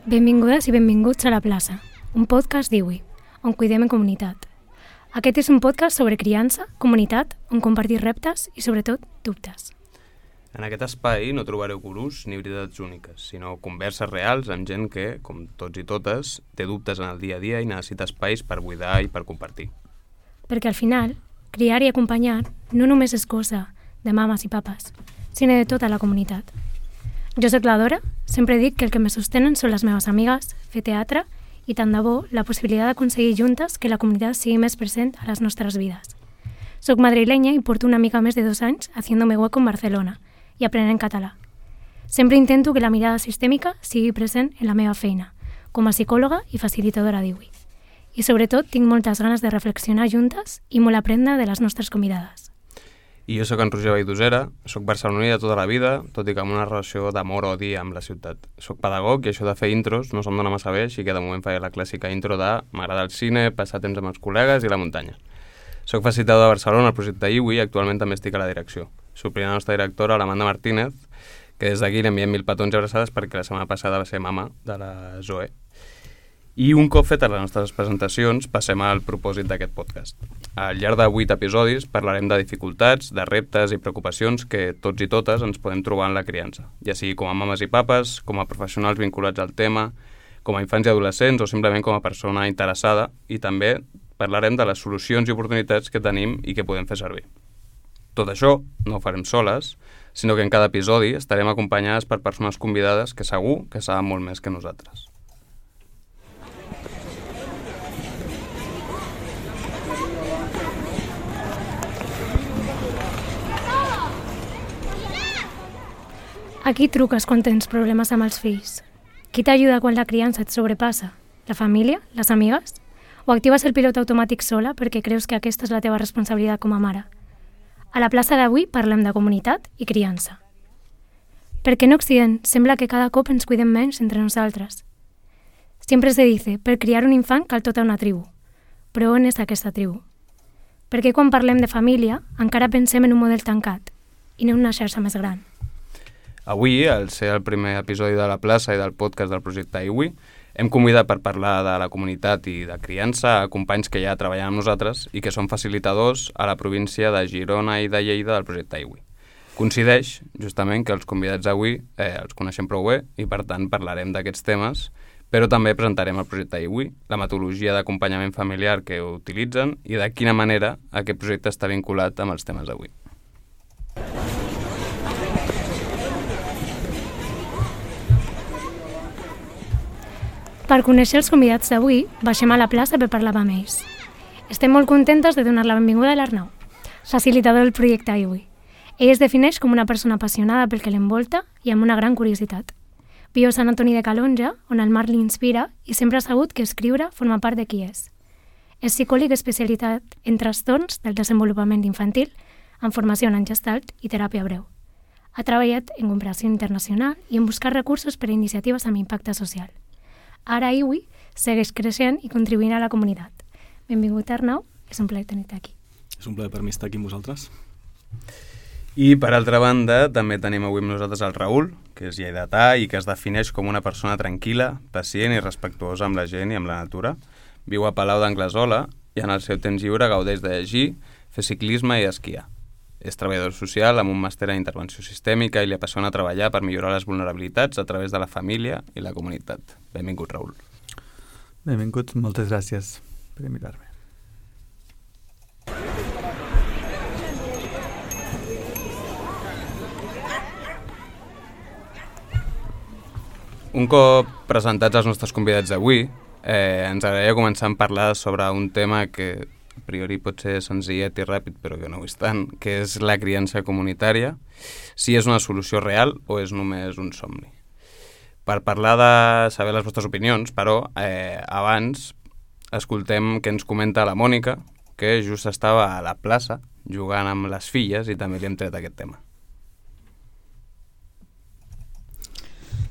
Benvingudes i benvinguts a La Plaça, un podcast d'IWI, on cuidem en comunitat. Aquest és un podcast sobre criança, comunitat, on compartir reptes i, sobretot, dubtes. En aquest espai no trobareu gurús ni veritats úniques, sinó converses reals amb gent que, com tots i totes, té dubtes en el dia a dia i necessita espais per buidar i per compartir. Perquè al final, criar i acompanyar no només és cosa de mames i papes, sinó de tota la comunitat. Jo soc la Dora, sempre dic que el que me sostenen són les meves amigues, fer teatre i, tant de bo, la possibilitat d'aconseguir juntes que la comunitat sigui més present a les nostres vides. Soc madrilenya i porto una mica més de 2 anys haciéndome hueco en Barcelona i aprenent català. Sempre intento que la mirada sistèmica sigui present en la meva feina, com a psicòloga i facilitadora d'IWI. I sobretot tinc moltes ganes de reflexionar juntes i molt aprendre de les nostres convidades. I jo sóc en Roger Valldossera, sóc barceloní de tota la vida, tot i que amb una relació d'amor-odi amb la ciutat. Soc pedagog i això de fer intros no se'm dona massa bé, així que de moment faig la clàssica intro de m'agrada el cine, passar temps amb els col·legues i la muntanya. Soc facilitador de Barcelona al projecte IWI i actualment també estic a la direcció. Suplint la nostra directora, l'Amanda Martínez, que des d'aquí li enviem 1000 petons i abraçades perquè la setmana passada va ser mama de la Zoe. I un cop fetes les nostres presentacions, passem al propòsit d'aquest podcast. Al llarg de 8 episodis parlarem de dificultats, de reptes i preocupacions que tots i totes ens podem trobar en la criança, ja sigui com a mames i papes, com a professionals vinculats al tema, com a infants i adolescents o simplement com a persona interessada, i també parlarem de les solucions i oportunitats que tenim i que podem fer servir. Tot això no ho farem soles, sinó que en cada episodi estarem acompanyades per persones convidades que segur que saben molt més que nosaltres. A qui truques quan tens problemes amb els fills? Qui t'ajuda quan la criança et sobrepassa? La família? Les amigues? O actives el pilot automàtic sola perquè creus que aquesta és la teva responsabilitat com a mare? A la plaça d'avui parlem de comunitat i criança. Perquè en Occident sembla que cada cop ens cuidem menys entre nosaltres. Siempre se dice, per criar un infant cal tota una tribu. Però on és aquesta tribu? Perquè quan parlem de família encara pensem en un model tancat i no en una xarxa més gran. Avui, al ser el primer episodi de La Plaça i del podcast del projecte IWI, hem convidat per parlar de la comunitat i de criança a companys que ja treballen amb nosaltres i que són facilitadors a la província de Girona i de Lleida del projecte IWI. Coincideix, justament, que els convidats d'avui els coneixem prou bé i, per tant, parlarem d'aquests temes, però també presentarem el projecte IWI, la metodologia d'acompanyament familiar que utilitzen i de quina manera aquest projecte està vinculat amb els temes d'avui. Per conèixer els convidats d'avui, baixem a la plaça per parlar amb ells. Estem molt contentes de donar la benvinguda a l'Arnau, facilitador del projecte IWI. Ell es defineix com una persona apassionada pel que l'envolta i amb una gran curiositat. Viu a Sant Antoni de Calonge, on el mar l'inspira i sempre ha sabut que escriure forma part de qui és. És psicòleg especialitzat en trastorns del desenvolupament infantil, amb formació en Gestalt i teràpia breu. Ha treballat en cooperació internacional i en buscar recursos per a iniciatives amb impacte social. Ara IWI segueix creixent i contribuint a la comunitat. Benvingut, Arnau. És un plaer tenir-te aquí. És un plaer per mi estar aquí amb vosaltres. I, per altra banda, també tenim avui amb nosaltres el Raül, que és lleidatà i que es defineix com una persona tranquil·la, pacient i respectuosa amb la gent i amb la natura. Viu a Palau d'Anglesola i en el seu temps lliure gaudeix de llegir, fer ciclisme i esquiar. És treballador social amb un màster en intervenció sistèmica i li apassiona treballar per millorar les vulnerabilitats a través de la família i la comunitat. Benvingut, Raül. Benvingut, moltes gràcies per invitar-me. Un cop presentats els nostres convidats d'avui, ens agradaria començar a parlar sobre un tema que a priori pot ser senzillet i ràpid, però que no ho és tant, que és la criança comunitària, si és una solució real o és només un somni. Per parlar de saber les vostres opinions, però, abans escoltem què ens comenta la Mònica, que just estava a la plaça jugant amb les filles i també li hem tret aquest tema.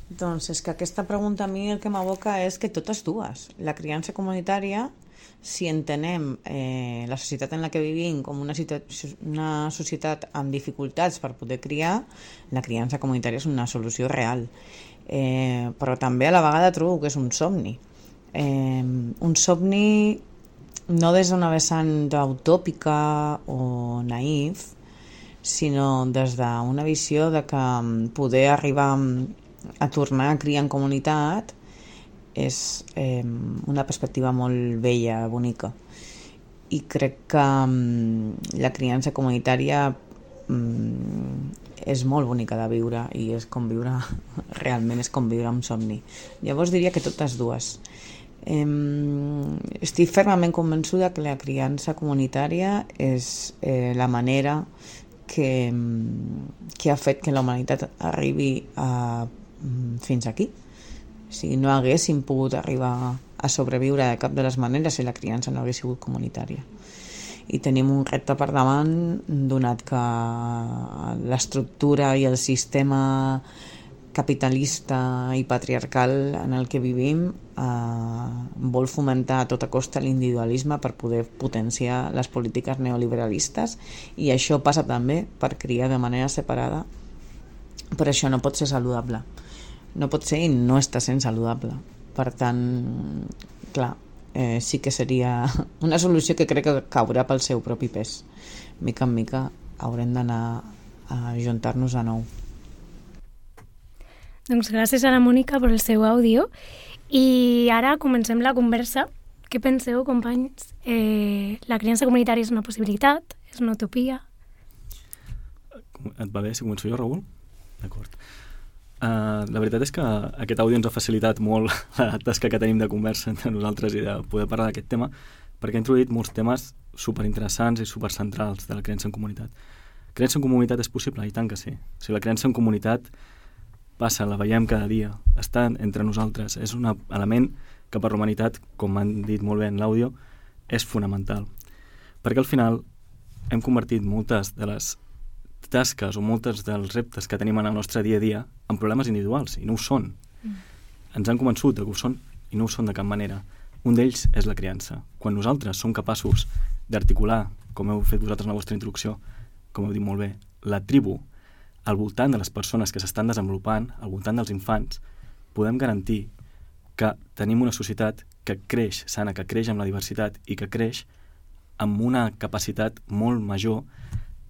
Doncs és que aquesta pregunta a mi el que m'aboca és que totes dues. La criança comunitària, si entenem la societat en la que vivim com una societat amb dificultats per poder criar, la criança comunitària és una solució real. però també a la vegada trobo que és un somni. Un somni no des d'una vessant utòpica o naïf, sinó des d'una visió de que poder arribar a tornar a criar en comunitat és una perspectiva molt bella, bonica. I crec que la criança comunitària és molt bonica de viure i és com viure, realment és com viure un somni. Llavors diria que totes dues. Estic fermament convençuda que la criança comunitària és la manera que ha fet que la humanitat arribi fins aquí. O sigui, no haguéssim pogut arribar a sobreviure de cap de les maneres si la criança no hagués sigut comunitària. I tenim un repte per davant, donat que l'estructura i el sistema capitalista i patriarcal en el que vivim vol fomentar a tota costa l'individualisme per poder potenciar les polítiques neoliberalistes, i això passa també per criar de manera separada, però això no pot ser saludable. No pot ser i no està sent saludable. Per tant, clar, sí que seria una solució que crec que caurà pel seu propi pes. Mica en mica haurem d'anar a ajuntar-nos de nou. Doncs gràcies a la Mònica per el seu àudio. I ara comencem la conversa. Què penseu, companys? La criança comunitària és una possibilitat? És una utopia? Et va bé si començo jo, Raül? D'acord. La veritat és que aquest àudio ens ha facilitat molt la tasca que tenim de conversa entre nosaltres i de poder parlar d'aquest tema, perquè ha introduït molts temes superinteressants i supercentrals de la creença en comunitat. Creença en comunitat és possible? I tant que sí. O sigui, la creença en comunitat passa, la veiem cada dia, està entre nosaltres, és un element que per la humanitat, com han dit molt bé en l'àudio, és fonamental. Perquè al final hem convertit moltes de les tasques o moltes dels reptes que tenim en el nostre dia a dia en problemes individuals, i no ho són. Ens han convençut que ho són i no ho són de cap manera. Un d'ells és la criança. Quan nosaltres som capaços d'articular, com heu fet vosaltres en la vostra introducció, com heu dit molt bé, la tribu al voltant de les persones que s'estan desenvolupant, al voltant dels infants, podem garantir que tenim una societat que creix sana, que creix amb la diversitat i que creix amb una capacitat molt major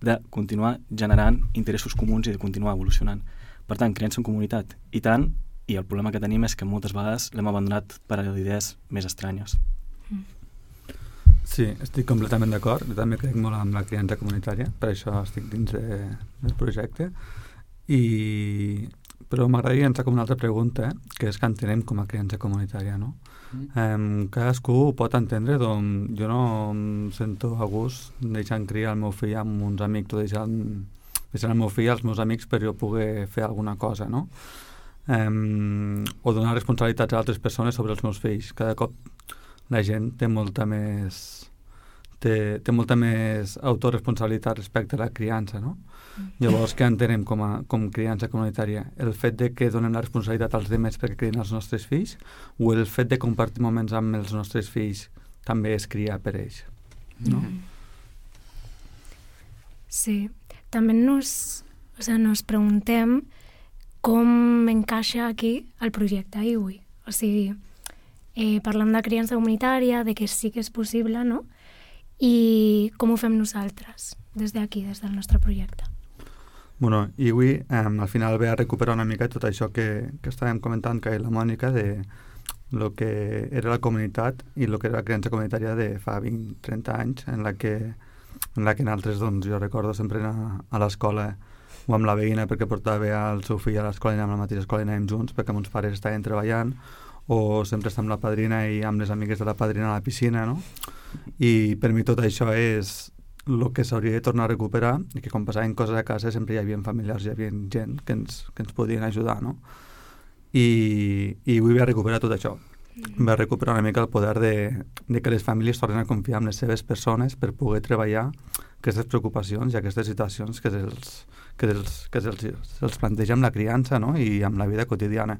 de continuar generant interessos comuns i de continuar evolucionant. Per tant, creença en comunitat. I tant, i el problema que tenim és que moltes vegades l'hem abandonat per a idees més estranyes. Sí, estic completament d'acord. Jo també crec molt en la criança comunitària, per això estic dins del projecte. Però m'agradaria entrar com una altra pregunta, que és que entenem com a criança comunitària, no? Cadascú pot entendre, doncs jo no em sento a gust deixant criar el meu fill amb uns amics o deixant el meu fill als meus amics per jo poder fer alguna cosa, no? O donar responsabilitats a altres persones sobre els meus fills. Cada cop la gent té molta més autoresponsabilitat respecte a la criança, no? Llavors, què entenem com criança comunitària? El fet de que donem la responsabilitat als demés perquè crien els nostres fills, o el fet de compartir moments amb els nostres fills també és criar per ells, no? Sí, també nos preguntem com encaixa aquí el projecte IWI. O sigui, parlem de criança comunitària, de que sí que és possible, no? I com ho fem nosaltres, des d'aquí, des del nostre projecte. Bueno, IWI al final ve a recuperar una mica tot això que estàvem comentant que la Mònica de lo que era la comunitat i lo que era la criança comunitària de fa 20-30 anys en la que nosaltres, doncs, jo recordo sempre anar a l'escola o amb la veïna perquè portava el seu fill a l'escola i anàvem a la mateixa escola i anàvem junts perquè mons pares estaven treballant, o sempre estar amb la padrina i amb les amigues de la padrina a la piscina, no? I per mi tot això és el que s'hauria de tornar a recuperar, i que quan passaven coses a casa sempre hi havia familiars, hi havia gent que ens podien ajudar, no? I vull recuperar tot això. Va recuperar una mica el poder de que les famílies tornen a confiar en les seves persones per poder treballar aquestes preocupacions i aquestes situacions que se'ls planteja amb la criança, no? I amb la vida quotidiana.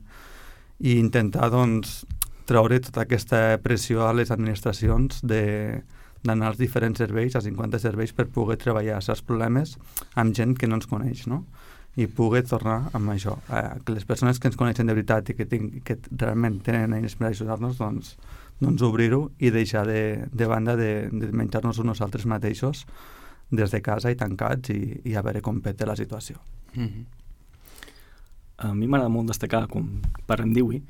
I intentar, doncs, treure tota aquesta pressió a les administracions d'anar als diferents serveis, a 50 serveis, per poder treballar certs problemes amb gent que no ens coneix, no? i poder tornar amb això. Que les persones que ens coneixen de veritat i que realment tenen eines per ajudar-nos, doncs obrir-ho i deixar de banda de menjar-nos nosaltres mateixos des de casa i tancats i a veure com peta la situació. A mi m'agrada molt destacar, com parlem d'IWI,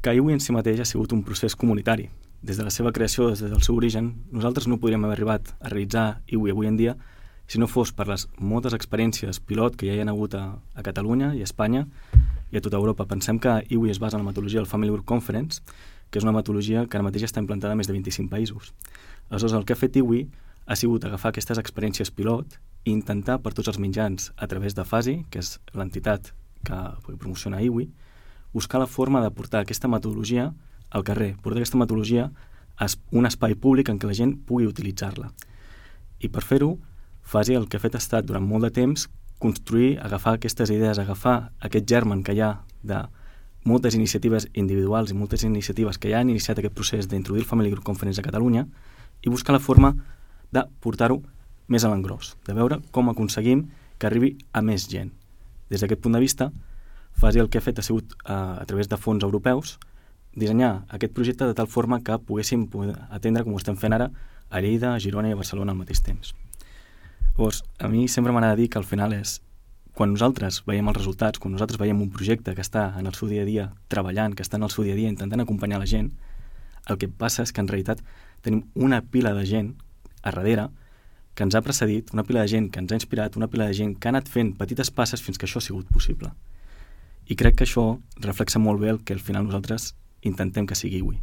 que IWI en si mateix ha sigut un procés comunitari. Des de la seva creació, des del seu origen, nosaltres no podríem haver arribat a realitzar IWI avui en dia si no fos per les moltes experiències pilot que ja hi ha hagut a Catalunya i a Espanya i a tota Europa. Pensem que IWI es basa en la metodologia del Family Group Conference, que és una metodologia que ara mateix està implantada a més de 25 països. Aleshores, el que ha fet IWI ha sigut agafar aquestes experiències pilot i intentar per tots els mitjans, a través de FASI, que és l'entitat que promociona IWI, buscar la forma de portar aquesta metodologia al carrer, portar aquesta metodologia a un espai públic en què la gent pugui utilitzar-la. I per fer-ho, FASI el que ha fet ha estat, durant molt de temps, construir, agafar aquestes idees, agafar aquest germen que hi ha de moltes iniciatives individuals i moltes iniciatives que ja han iniciat aquest procés d'introduir el Family Group Conference a Catalunya i buscar la forma de portar-ho més a l'engròs, de veure com aconseguim que arribi a més gent. Des d'aquest punt de vista, FASI el que ha fet ha sigut, a través de fons europeus, dissenyar aquest projecte de tal forma que poguéssim atendre, com ho estem fent ara, a Lleida, a Girona i a Barcelona al mateix temps. Llavors, a mi sempre m'agrada dir que al final és quan nosaltres veiem els resultats, quan nosaltres veiem un projecte que està en el seu dia a dia treballant, que està en el seu dia a dia intentant acompanyar la gent, el que passa és que en realitat tenim una pila de gent a darrere que ens ha precedit, una pila de gent que ens ha inspirat, una pila de gent que ha anat fent petites passes fins que això ha sigut possible. I crec que això reflexa molt bé el que al final nosaltres intentem que sigui IWI.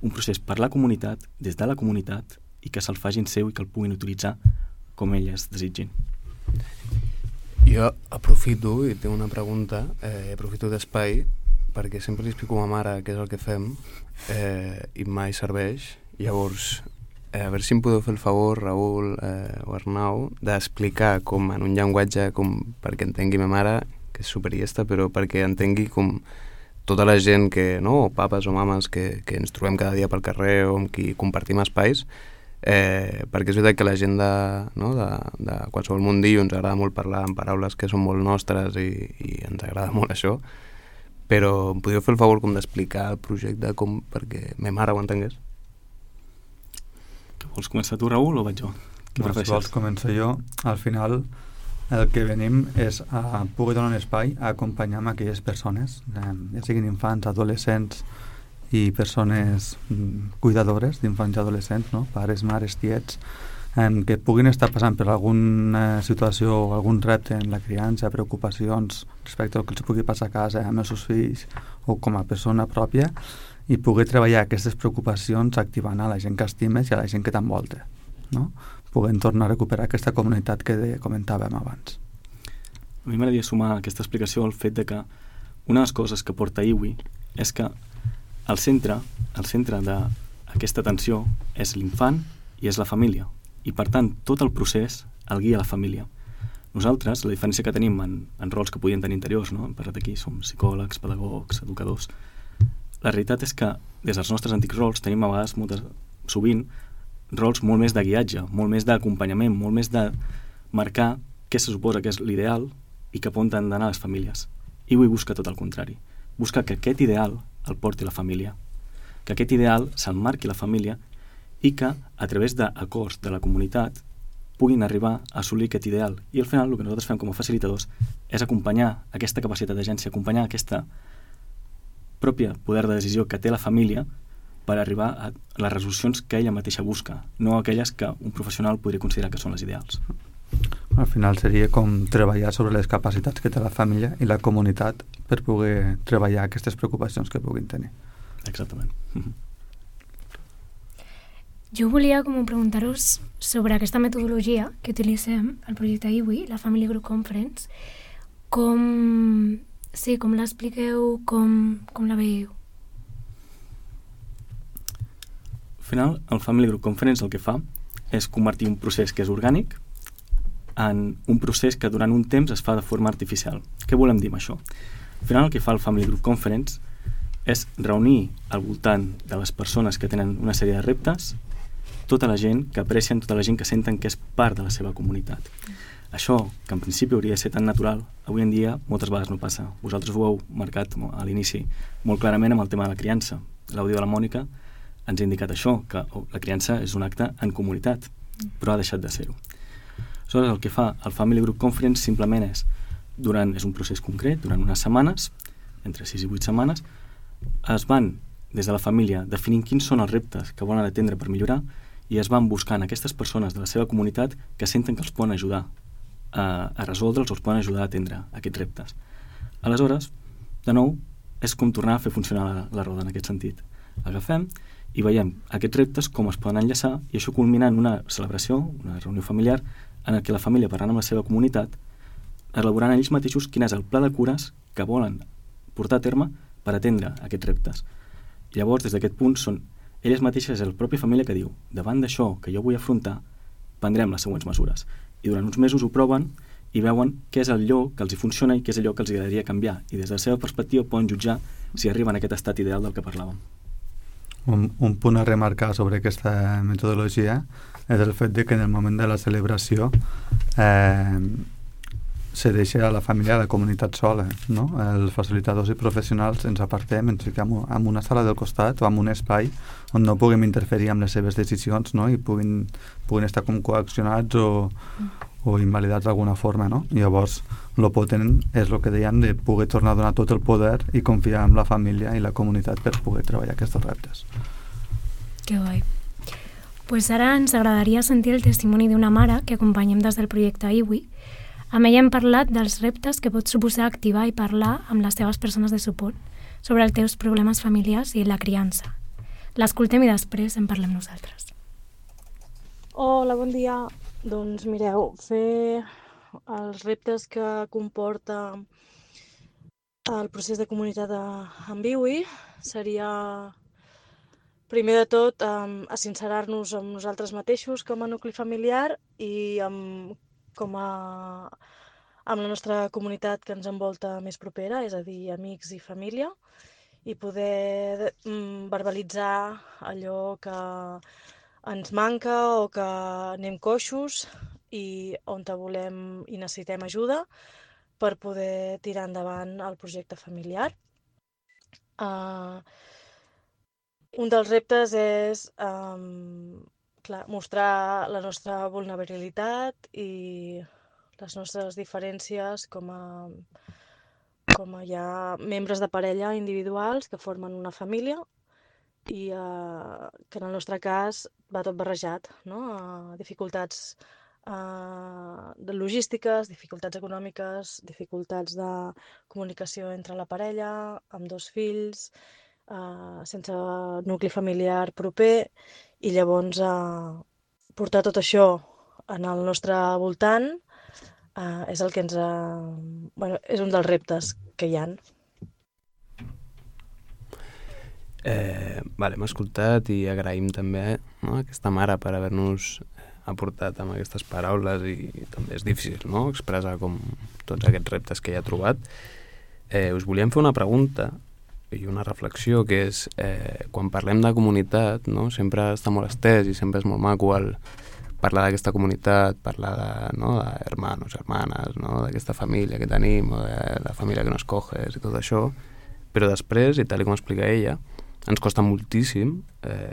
Un procés per la comunitat, des de la comunitat, i que se'l facin seu i que el puguin utilitzar com elles desitgin. Jo aprofito i tinc una pregunta, aprofito d'espai perquè sempre li explico a ma mare què és el que fem i mai serveix. Llavors, a veure si em podeu fer el favor, Raül o Arnau, d'explicar com en un llenguatge perquè entengui ma mare, que és superiesta, però perquè entengui com tota la gent que, no, papes o mames que ens trobem cada dia pel carrer o amb qui compartim espais, perquè és veritat que la gent de qualsevol mundillo ens agrada molt parlar en paraules que són molt nostres i ens agrada molt això, però em podríeu fer el favor com d'explicar el projecte perquè ma mare ho entengués? Que vols començar tu, Raül, o vaig jo? Si vols començo jo. Al final el que venim és a poder donar un espai a acompanyar amb aquelles persones, ja siguin infants, adolescents i persones cuidadores d'infants i adolescents, no? Pares, mares, tiets, que puguin estar passant per alguna situació o algun repte en la criança, preocupacions respecte al que els pugui passar a casa amb els seus fills o com a persona pròpia, i poder treballar aquestes preocupacions activant a la gent que estimes i a la gent que t'envolta, no? Puguem tornar a recuperar aquesta comunitat que comentàvem abans. A mi m'agradaria sumar a aquesta explicació el fet de que una de les coses que porta IWI és que el centre d'aquesta atenció és l'infant i és la família, i per tant tot el procés el guia la família. Nosaltres, la diferència que tenim en rols que podien tenir interiors, no? Hem parlat aquí, som psicòlegs, pedagogs, educadors. La realitat és que des dels nostres antics rols tenim a vegades sovint rols molt més de guiatge, molt més d'acompanyament, molt més de marcar què se suposa que és l'ideal i cap on han d'anar les famílies. IWI busca tot el contrari. Busca que aquest ideal el porti la família, que aquest ideal se'l marqui la família i que, a través d'acords de la comunitat, puguin arribar a assolir aquest ideal. I al final el que nosaltres fem com a facilitadors és acompanyar aquesta capacitat d'agència, acompanyar aquesta pròpia poder de decisió que té la família per arribar a les resolucions que ella mateixa busca, no aquelles que un professional podria considerar que són les ideals. Al final seria com treballar sobre les capacitats que té la família i la comunitat per poder treballar aquestes preocupacions que puguin tenir. Exactament. Jo volia preguntar-vos sobre aquesta metodologia que utilitzem al projecte IWI, la Family Group Conference, com l'expliqueu, com la veieu? Al final, el Family Group Conference el que fa és convertir un procés que és orgànic en un procés que durant un temps es fa de forma artificial. Què volem dir amb això? Al final el que fa el Family Group Conference és reunir al voltant de les persones que tenen una sèrie de reptes tota la gent que aprecien, tota la gent que senten que és part de la seva comunitat. Això, que en principi hauria de ser tan natural, avui en dia moltes vegades no passa. Vosaltres ho heu marcat a l'inici molt clarament amb el tema de la criança. L'àudio de la Mònica ens ha indicat això, que la criança és un acte en comunitat, però ha deixat de ser-ho. Aleshores, el que fa el Family Group Conference simplement és un procés concret, durant unes setmanes, entre 6 i 8 setmanes, es van, des de la família, definint quins són els reptes que volen atendre per millorar i es van buscant aquestes persones de la seva comunitat que senten que els poden ajudar a resoldre'ls o els poden ajudar a atendre aquests reptes. Aleshores, de nou, és com tornar a fer funcionar la roda en aquest sentit. Agafem i veiem aquests reptes com es poden enllaçar i això culmina en una celebració, una reunió familiar, en què la família, parlant amb la seva comunitat, elaborant ells mateixos quin és el pla de cures que volen portar a terme per atendre aquests reptes. I llavors, des d'aquest punt, són elles mateixes, és la pròpia família que diu davant d'això que jo vull afrontar, prendrem les següents mesures. I durant uns mesos ho proven i veuen què és allò que els hi funciona i què és allò que els agradaria canviar. I des de la seva perspectiva poden jutjar si arriben a aquest estat ideal del que parlàvem. Un punt a remarcar sobre aquesta metodologia és el fet de que en el moment de la celebració se deixa a la família, a la comunitat sola, no? Els facilitadors i professionals ens apartem, ens fiquem en una sala del costat o en un espai on no puguem interferir amb les seves decisions, no? I puguin estar com coaccionats o invalidats d'alguna forma, no? I llavors el potent és el que deien de poder tornar a donar tot el poder i confiar en la família i la comunitat per poder treballar aquests reptes. Que guai. Pues ara ens agradaria sentir el testimoni d'una mare que acompanyem des del projecte IWI. Amb ella hem parlat dels reptes que pot suposar activar i parlar amb les teves persones de suport sobre els teus problemes familiars i la criança. L'escoltem i després en parlem nosaltres. Hola, bon dia. Doncs mireu, fer els reptes que comporta el procés de comunitat amb IWI seria, primer de tot, a sincerar-nos amb nosaltres mateixos com a nucli familiar i amb la nostra comunitat que ens envolta més propera, és a dir, amics i família, i poder verbalitzar allò que ens manca o que anem coixos i on volem i necessitem ajuda per poder tirar endavant el projecte familiar. Un dels reptes és mostrar la nostra vulnerabilitat i les nostres diferències com a ja membres de parella individuals que formen una família i que en el nostre cas va tot barrejat, no? Dificultats de logístiques, dificultats econòmiques, dificultats de comunicació entre la parella, amb 2 fills, sense nucli familiar proper, i llavors portar tot això en el nostre voltant és el que ens és un dels reptes que hi ha. Hem escoltat i agraïm també a aquesta mare per haver-nos aportat amb aquestes paraules i també és difícil, no?, expressar com tots aquests reptes que hi ha trobat. Us volíem fer una pregunta i una reflexió que és quan parlem de comunitat, no?, sempre està molt estès i sempre és molt maco parlar d'aquesta comunitat, parlar de hermanos, hermanes, no?, d'aquesta família que tenim o de la família que nos coges i tot això, però després, i tal com explica ella, ens costa moltíssim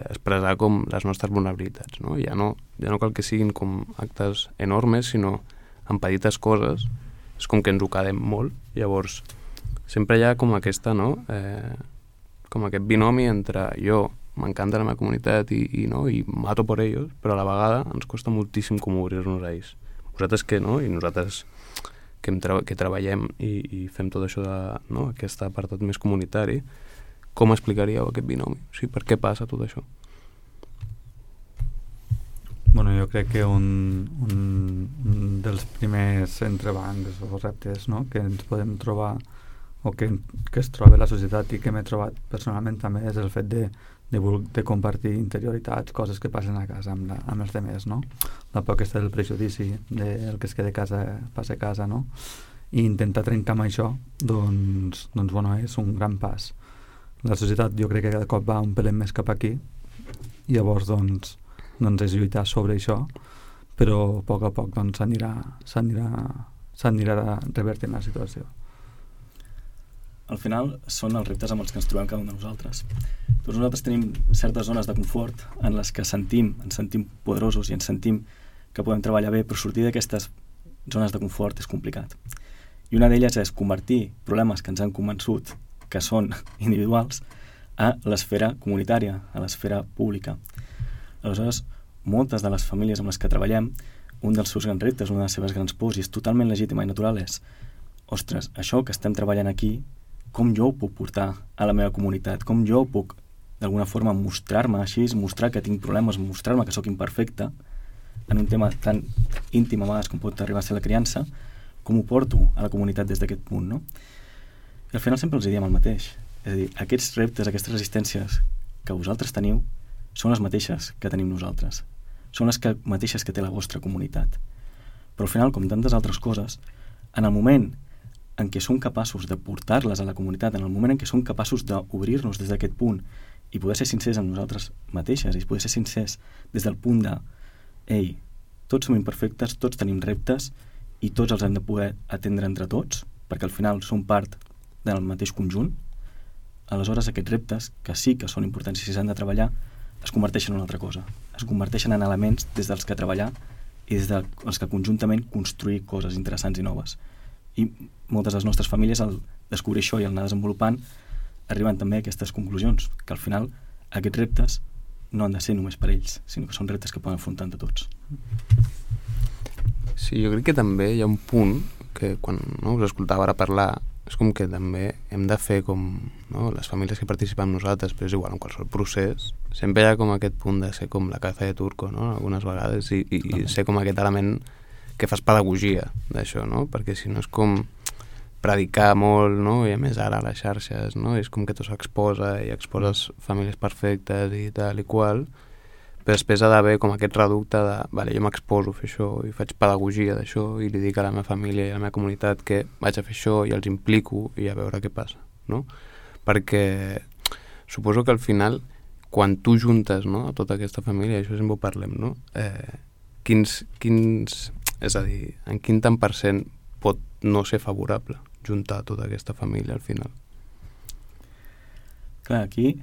expressar com les nostres vulnerabilitats, no? Ja no cal que siguin com actes enormes, sinó en petites coses, és com que ens ho quedem molt, llavors sempre hi ha com aquesta, no?, com aquest binomi entre jo m'encanta la meva comunitat i mato per ells, però a la vegada ens costa moltíssim com obrir-nos a ells. Vosaltres que no, i nosaltres que treballem i fem tot això aquest apartat més comunitari, com explicaríeu aquest binomi? O sigui, per què passa tot això? Bueno, jo crec que un dels primers entrebancs o reptes, no?, que ens podem trobar o que es troba la societat i que m'he trobat personalment també és el fet de compartir interioritats, coses que passen a casa amb els demés, no? La por aquesta del prejudici, del que es queda a casa passa a casa, no? I intentar trencar amb això, doncs bueno, és un gran pas. La societat jo crec que cada cop va un pelet més cap aquí i llavors doncs és lluitar sobre això però a poc doncs, s'anirà revertint la situació. Al final són els reptes amb els que ens trobem cada un de nosaltres. Tots nosaltres tenim certes zones de confort en les que ens sentim poderosos i ens sentim que podem treballar bé, però sortir d'aquestes zones de confort és complicat. I una d'elles és convertir problemes que ens han convençut que són individuals a l'esfera comunitària, a l'esfera pública. Aleshores, moltes de les famílies amb les que treballem, un dels seus grans reptes, una de les seves grans pors, i és totalment legítima i natural, és ostres, això que estem treballant aquí, com jo ho puc portar a la meva comunitat, com jo puc d'alguna forma mostrar-me així, mostrar que tinc problemes, mostrar-me que sóc imperfecte en un tema tan íntim a vegades com pot arribar a ser la criança, com ho porto a la comunitat des d'aquest punt, no? I al final sempre els diem el mateix, és a dir, aquests reptes, aquestes resistències que vosaltres teniu són les mateixes que tenim nosaltres, són les mateixes que té la vostra comunitat, però al final, com tantes altres coses, en el moment en què som capaços de portar-les a la comunitat, en el moment en què som capaços d'obrir-nos des d'aquest punt i poder ser sincers amb nosaltres mateixes i poder ser sincers des del punt de ei, tots som imperfectes, tots tenim reptes i tots els hem de poder atendre entre tots, perquè al final som part del mateix conjunt, aleshores aquests reptes, que sí que són importants i s'han de treballar, es converteixen en una altra cosa. Es converteixen en elements des dels que treballar i des dels que conjuntament construir coses interessants i noves. I moltes de les nostres famílies, al descobrir això i al anar desenvolupant, arriben també a aquestes conclusions, que al final aquests reptes no han de ser només per ells, sinó que són reptes que poden afrontar entre tots. Sí, jo crec que també hi ha un punt que quan us escoltava ara parlar és com que també hem de fer com les famílies que participen amb nosaltres, però és igual en qualsevol procés, sempre hi ha com aquest punt de ser com la caza de turco, algunes vegades, i ser com aquest element que fas pedagogia d'això, perquè si no és com predicar molt, i a més ara a les xarxes, és com que tot s'exposa i exposes famílies perfectes i tal i qual, però després ha d'haver com aquest reducte de vale, jo m'exposo a fer això i faig pedagogia d'això i li dic a la meva família i a la meva comunitat que vaig a fer això i els implico i a veure què passa, perquè suposo que al final quan tu juntes a tota aquesta família, això sempre ho parlem, és a dir, en quin tant % pot no ser favorable juntar tota aquesta família al final? Clar, aquí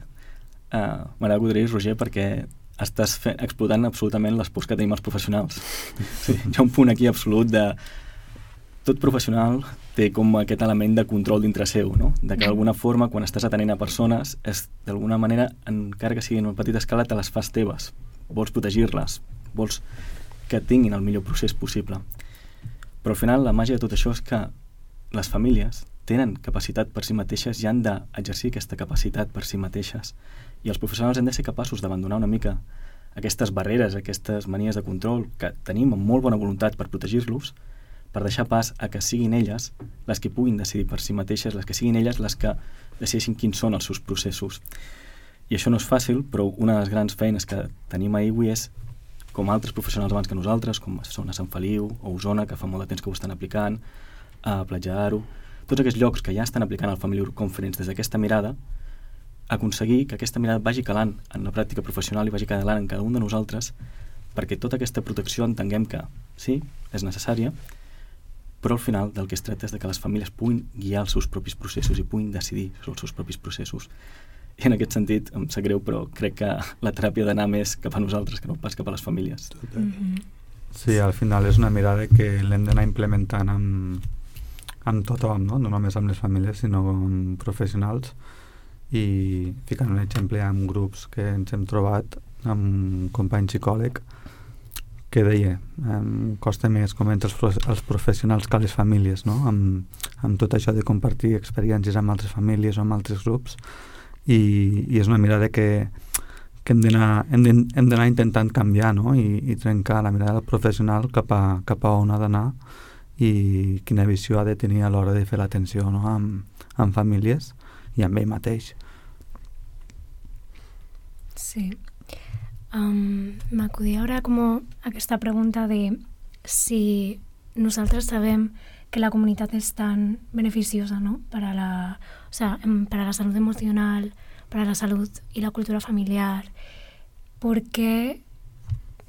m'agrada que ho diries, Roger, perquè estàs explotant absolutament les pors que tenim els professionals. Sí, hi ha un punt aquí absolut de tot professional té com aquest element de control dintre seu, de que d'alguna forma quan estàs atenent a persones d'alguna manera, encara que siguin en una petita escala, te les fas teves, vols protegir-les, vols que tinguin el millor procés possible. Però al final la màgia de tot això és que les famílies tenen capacitat per si mateixes i han d'exercir aquesta capacitat per si mateixes. I els professionals hem de ser capaços d'abandonar una mica aquestes barreres, aquestes manies de control que tenim amb molt bona voluntat per protegir-los, per deixar pas a que siguin elles les que puguin decidir per si mateixes, les que siguin elles les que decideixin quins són els seus processos. I això no és fàcil, però una de les grans feines que tenim a IWI és, com altres professionals abans que nosaltres, com són a Sant Feliu o Osona, que fa molt de temps que ho estan aplicant, a Platja d'Aro, tots aquests llocs que ja estan aplicant el Family Conference des d'aquesta mirada, aconseguir que aquesta mirada vagi calant en la pràctica professional i vagi calant en cada un de nosaltres, perquè tota aquesta protecció entenguem que sí, és necessària, però al final del que es tracta és de que les famílies puguin guiar els seus propis processos i puguin decidir sobre els seus propis processos. I en aquest sentit, em sap greu, però crec que la teràpia ha d'anar més cap a nosaltres que no pas cap a les famílies. Sí, al final és una mirada que l'hem d'anar implementant amb tothom, no només amb les famílies, sinó amb professionals, i ficant un exemple amb grups que ens hem trobat amb un company psicòleg que deia costa més convèncer els professionals que les famílies, amb tot això de compartir experiències amb altres famílies o amb altres grups, i és una mirada que hem d'anar intentant canviar, i trencar la mirada del professional cap a on ha d'anar i quina visió ha de tenir a l'hora de fer l'atenció amb famílies i amb ell mateix. Sí. M'acudia ara com aquesta pregunta de si nosaltres sabem que la comunitat és tan beneficiosa, para la salud emocional, para la salud y la cultura familiar, ¿por qué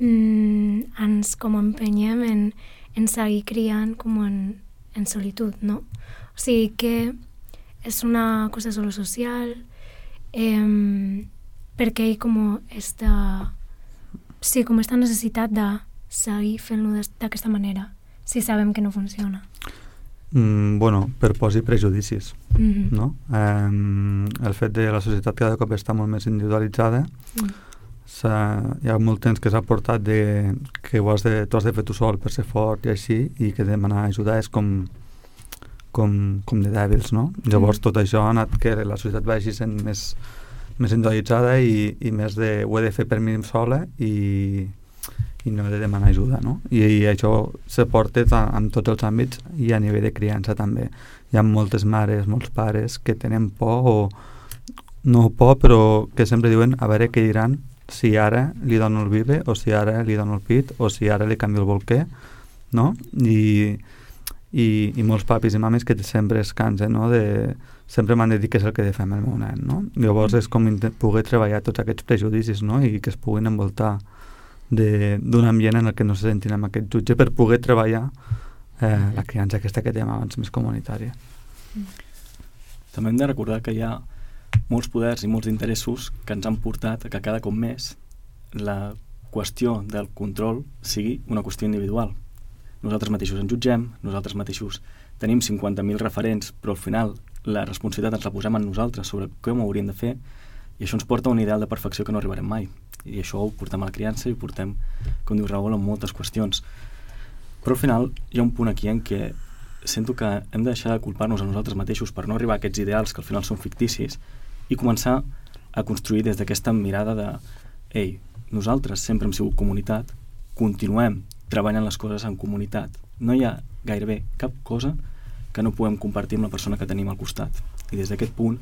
ens com empenyem en seguir criant com en solitud, no? O sigui que és una cosa solo social, perquè hi com esta necessitat de seguir fent-lo d'aquesta manera, si sabem que no funciona. Bueno, per pors i prejudicis, no? El fet de la societat cada cop està molt més individualitzada, hi ha molt temps que s'ha portat que tu has de fer tu sol per ser fort i així, i que demanar ajuda és com de dèbils, no? Llavors tot això ha anat que la societat vagi sent més individualitzada i més de ho he de fer per mi sola i no he de demanar ajuda, no? I això se porta en tots els àmbits i a nivell de criança també. Hi ha moltes mares, molts pares que tenen por o no por, però que sempre diuen a veure què diran si ara li dono el bibe o si ara li dono el pit o si ara li canvio el bolquer, no? I molts papis i mames que sempre es cansen, no? Sempre m'han de dir què és el que he de fer amb el meu nen, no? Llavors és com poder treballar tots aquests prejudicis, no? I que es puguin envoltar d'un ambient en el que no se sentin amb aquest jutge per poder treballar la criança aquesta que dèiem abans més comunitària. També hem de recordar que hi ha molts poders i molts interessos que ens han portat a que cada cop més la qüestió del control sigui una qüestió individual. Nosaltres mateixos ens jutgem, nosaltres mateixos tenim 50.000 referents, però al final la responsabilitat ens la posem en nosaltres sobre com ho hauríem de fer, i això ens porta a un ideal de perfecció que no arribarem mai. I això ho portem a la criança i ho portem, com diu Raül, en moltes qüestions. Però al final hi ha un punt aquí en què sento que hem de deixar de culpar-nos a nosaltres mateixos per no arribar a aquests ideals que al final són ficticis i començar a construir des d'aquesta mirada de ei, nosaltres sempre hem sigut comunitat, continuem treballant les coses en comunitat. No hi ha gairebé cap cosa que no puguem compartir amb la persona que tenim al costat. I des d'aquest punt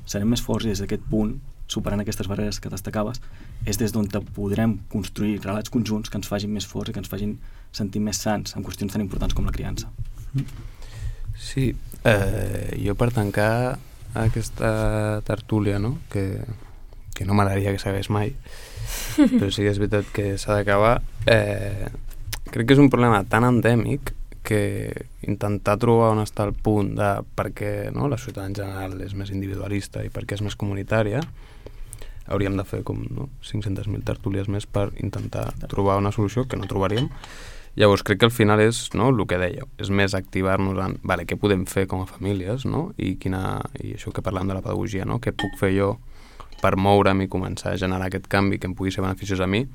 serem més forts i des d'aquest punt, superant aquestes barreres que destacaves, és des d'on podrem construir relats conjunts que ens facin més forts i que ens facin sentir més sants en qüestions tan importants com la criança. Sí, jo per tancar aquesta tertúlia, no? que no m'agradaria que s'hagués mai, però sí que és veritat que s'ha d'acabar, crec que és un problema tan endèmic que intentar trobar on està el punt de per què, no, la societat en general és més individualista i per què és més comunitària, hauríem de fer com 500.000 tertúlies més per intentar trobar una solució que no trobaríem. Llavors crec que al final és el que dèieu, és més activar-nos en què podem fer com a famílies, no? I això que parlem de la pedagogia, no? Què puc fer jo per moure'm i començar a generar aquest canvi que em pugui ser beneficiós a mi,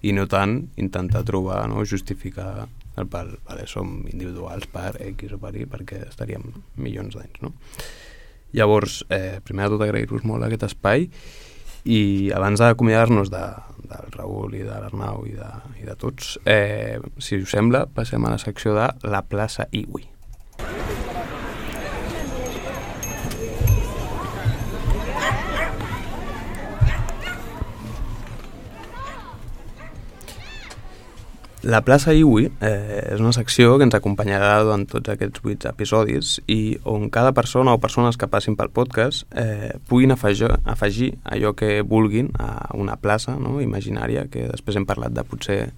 i no tant intentar trobar, no, justificar som individuals per X o per Y perquè estaríem milions d'anys, no? Llavors, primer de tot agrair-vos molt aquest espai, i abans d'acomiadar-nos del Raül i de l'Arnau i de tots, si us sembla, passem a la secció de la plaça Iwi. La plaça Iwi és una secció que ens acompanyarà durant tots aquests 8 episodis i on cada persona o persones que passin pel podcast puguin afegir allò que vulguin a una plaça, no, imaginària, que després hem parlat de potser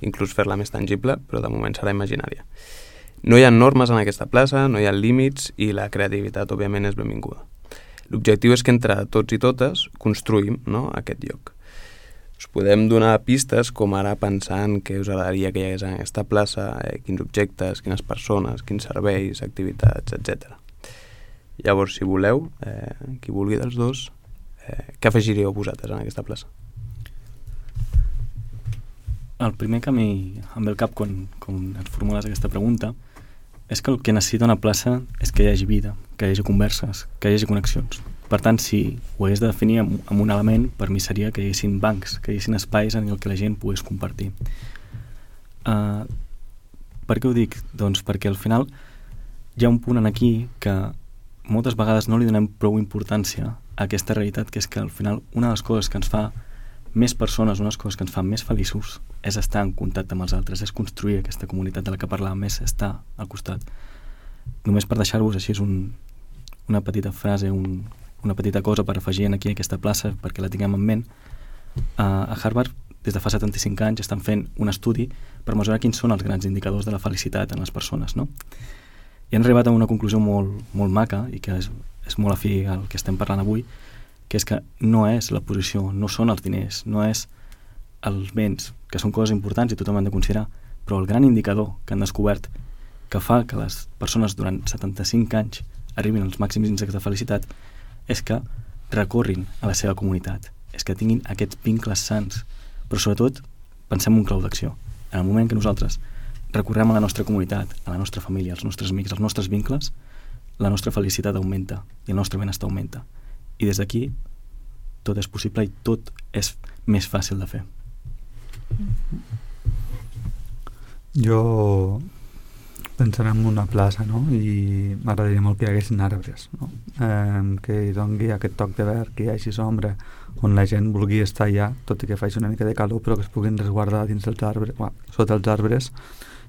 inclús fer-la més tangible, però de moment serà imaginària. No hi ha normes en aquesta plaça, no hi ha límits i la creativitat, òbviament, és benvinguda. L'objectiu és que entre tots i totes construïm, no, aquest lloc. Us podem donar pistes com ara pensant què us agradaria que hi hagués en aquesta plaça, quins objectes, quines persones, quins serveis, activitats, etc. Llavors, si voleu, qui vulgui dels dos, què afegiríeu vosaltres en aquesta plaça? El primer que a mi em ve al cap quan ens formules aquesta pregunta és que el que necessita una plaça és que hi hagi vida, que hi hagi converses, que hi hagi connexions. Per tant, si ho hagués de definir amb un element, per mi seria que hi haguessin bancs, que hi haguessin espais en el que la gent pogués compartir. Per què ho dic? Doncs perquè al final hi ha un punt en aquí que moltes vegades no li donem prou importància a aquesta realitat, que és que al final una de les coses que ens fa més persones, una de les coses que ens fa més feliços és estar en contacte amb els altres, és construir aquesta comunitat de la que parlàvem, és estar al costat. Només per deixar-vos així és una petita frase, una petita cosa per afegir aquí a aquesta plaça perquè la tinguem en ment. A Harvard des de fa 75 anys estan fent un estudi per mesurar quins són els grans indicadors de la felicitat en les persones, no? I han arribat a una conclusió molt maca i que és molt afí al que estem parlant avui, que és que no és la posició, no són els diners, no és els béns, que són coses importants i tothom han de considerar, però el gran indicador que han descobert que fa que les persones durant 75 anys arribin als màxims índexs de felicitat és que recorrin a la seva comunitat, és que tinguin aquests vincles sans, però sobretot pensem en un clau d'acció. En el moment que nosaltres recorrem a la nostra comunitat, a la nostra família, als nostres amics, als nostres vincles, la nostra felicitat augmenta i el nostre benestar augmenta. I des d'aquí tot és possible i tot és més fàcil de fer. Jo pensant en una plaça, no? I m'agradaria molt que hi haguessin arbres, no? Que hi doni aquest toc de verd, que hi hagi sombra, on la gent vulgui estar allà, tot i que faci una mica de calor, però que es puguin resguardar dins dels arbres, sota els arbres,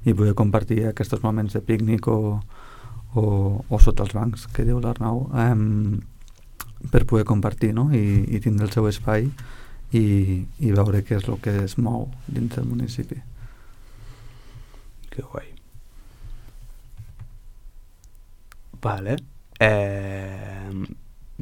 i poder compartir aquests moments de pícnic o sota els bancs, que diu l'Arnau, per poder compartir, no? I tindre el seu espai i veure què és el que es mou dins del municipi. Que guai. Vale.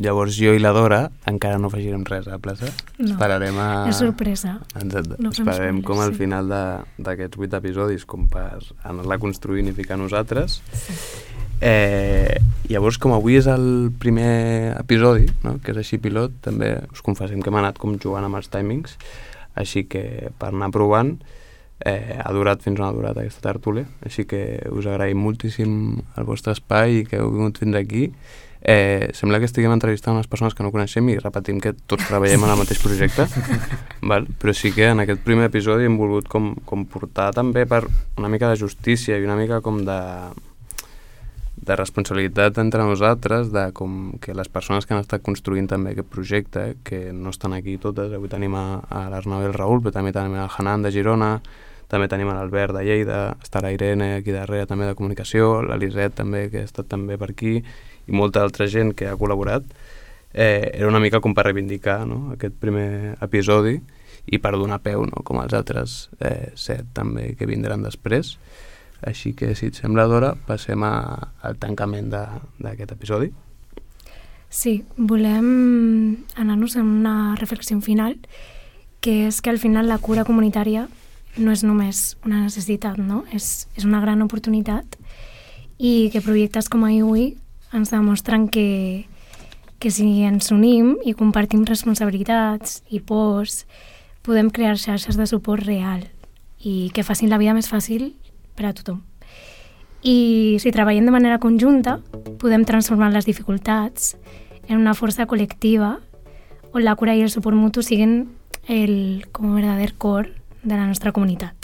Llavors jo i la Dora encara no afegirem res a la plaça. No, esperarem és sorpresa. Exacte. No Esperarem com al sí. final d'aquests 8 episodis com per anar-la construint i ficar nosaltres. Sí. Llavors, com avui és el primer episodi, no? Que és així pilot, també us confessem que hem anat com jugant amb els timings, així que per anar provant ha durat fins on ha durat aquesta tertúlia, així que us agraïm moltíssim el vostre espai i que heu vingut fins aquí. Sembla que estiguem entrevistant unes persones que no coneixem i repetim que tots treballem en el mateix projecte, val? Però sí que en aquest primer episodi hem volgut com portar també per una mica de justícia i una mica com de responsabilitat entre nosaltres, de com que les persones que han estat construint també aquest projecte, que no estan aquí totes, avui tenim a l'Arnau i el Raül, però també tenim el Hanan de Girona, també tenim l'Albert de Lleida, està la Irene aquí darrere també de comunicació, l'Eliset també, que ha estat també per aquí, i molta altra gent que ha col·laborat. Era una mica com per reivindicar, no? Aquest primer episodi i per donar peu, no? Com els altres 7 també que vindran després. Així que, si et sembla, Dora, passem al tancament d'aquest episodi. Sí, volem anar-nos en una reflexió final, que és que al final la cura comunitària no és només una necessitat, no? És una gran oportunitat i que projectes com IWI ens demostren que si ens unim i compartim responsabilitats i pors, podem crear xarxes de suport real i que facin la vida més fàcil per a tothom. I si treballem de manera conjunta, podem transformar les dificultats en una força col·lectiva on la cura i el suport mutu siguin com a verdader cor de la nostra comunitat.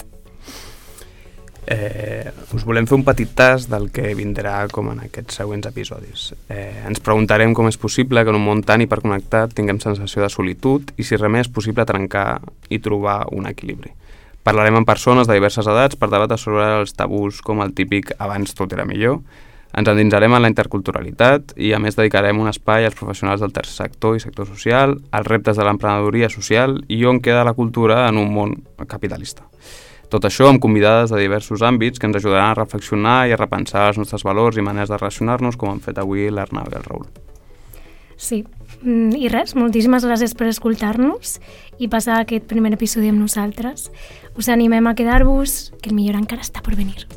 Us volem fer un petit tas del que vindrà com en aquests següents episodis. Ens preguntarem com és possible que en un món tan hiperconnectat tinguem sensació de solitud i si realment és possible trencar i trobar un equilibri. Parlarem amb persones de diverses edats per debatre sobre els tabús com el típic abans tot era millor. Ens endinsarem en la interculturalitat i a més dedicarem un espai als professionals del tercer sector i sector social, als reptes de l'emprenedoria social i on queda la cultura en un món capitalista. Tot això amb convidades de diversos àmbits que ens ajudaran a reflexionar i a repensar els nostres valors i maneres de relacionar-nos com han fet avui l'Arnau i el Raül. Sí, i res, moltíssimes gràcies per escoltar-nos i passar aquest primer episodi amb nosaltres. Us animem a quedar-vos, que el millor encara està per venir.